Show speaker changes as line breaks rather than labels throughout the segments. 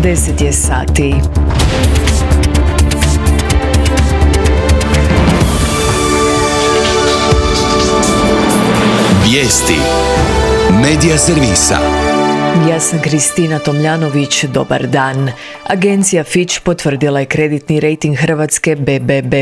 10 je sati.
Vijesti Medija servisa.
Ja sam Kristina Tomljanović, dobar dan. Agencija Fitch potvrdila je kreditni rejting Hrvatske BBB+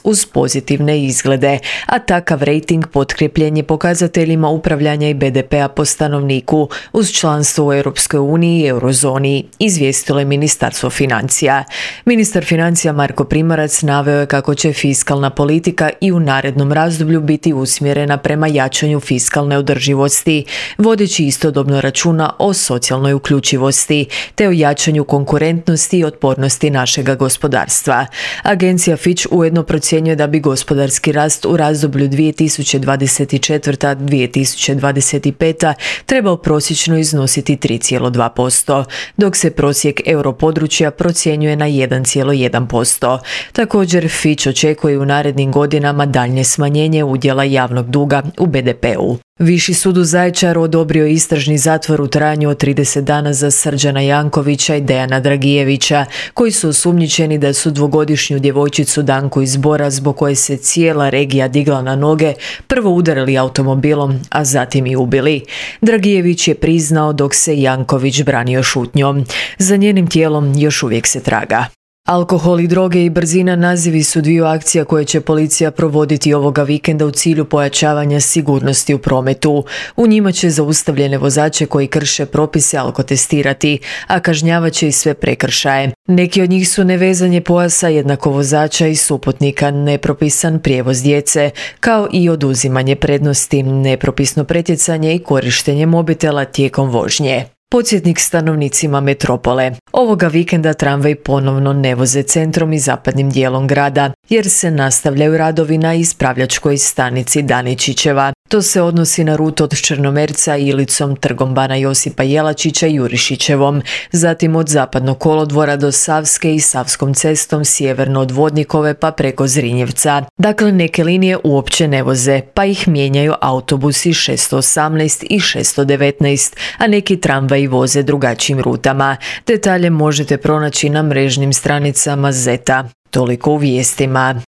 uz pozitivne izglede, a takav rejting potkrijepljen je pokazateljima upravljanja i BDP-a po stanovniku uz članstvo u Europskoj uniji i eurozoni, izvijestilo je Ministarstvo financija. Ministar financija Marko Primorac naveo je kako će fiskalna politika i u narednom razdoblju biti usmjerena prema jačanju fiskalne održivosti, vodeći istodobno računa o socijalnoj uključivosti te o jačanju konkurentnosti i otpornosti našega gospodarstva. Agencija Fitch ujedno procjenjuje da bi gospodarski rast u razdoblju 2024-2025 trebao prosječno iznositi 3,2%, dok se prosjek europodručja procjenjuje na 1,1%. Također Fitch očekuje u narednim godinama daljnje smanjenje udjela javnog duga u BDP-u. Viši sud u Zaječaru odobrio istražni zatvor u trajanju od 30 dana za Srđana Jankovića i Dejana Dragijevića, koji su osumnjičeni da su dvogodišnju djevojčicu Danku iz Bora, zbog koje se cijela regija digla na noge, prvo udarili automobilom, a zatim i ubili. Dragijević je priznao, dok se Janković branio šutnjom. Za njenim tijelom još uvijek se traga. Alkohol i droge i brzina nazivi su dviju akcija koje će policija provoditi ovoga vikenda u cilju pojačavanja sigurnosti u prometu. U njima će zaustavljene vozače koji krše propise alkotestirati, a kažnjavat će i sve prekršaje. Neki od njih su nevezanje pojasa jednako vozača i suputnika, nepropisan prijevoz djece, kao i oduzimanje prednosti, nepropisno pretjecanje i korištenje mobitela tijekom vožnje. Podsjetnik stanovnicima metropole. Ovoga vikenda tramvaj ponovno ne voze centrom i zapadnim dijelom grada, jer se nastavljaju radovi na ispravljačkoj stanici Daničićeva. To se odnosi na rutu od Črnomerca, Ilicom, Trgom bana Josipa Jelačića i Jurišićevom, zatim od Zapadnog kolodvora do Savske i Savskom cestom sjeverno od Vodnikove pa preko Zrinjevca. Dakle, neke linije uopće ne voze, pa ih mijenjaju autobusi 618 i 619, a neki tramvaji voze drugačijim rutama. Detalje možete pronaći na mrežnim stranicama ZET-a. Toliko u vijestima.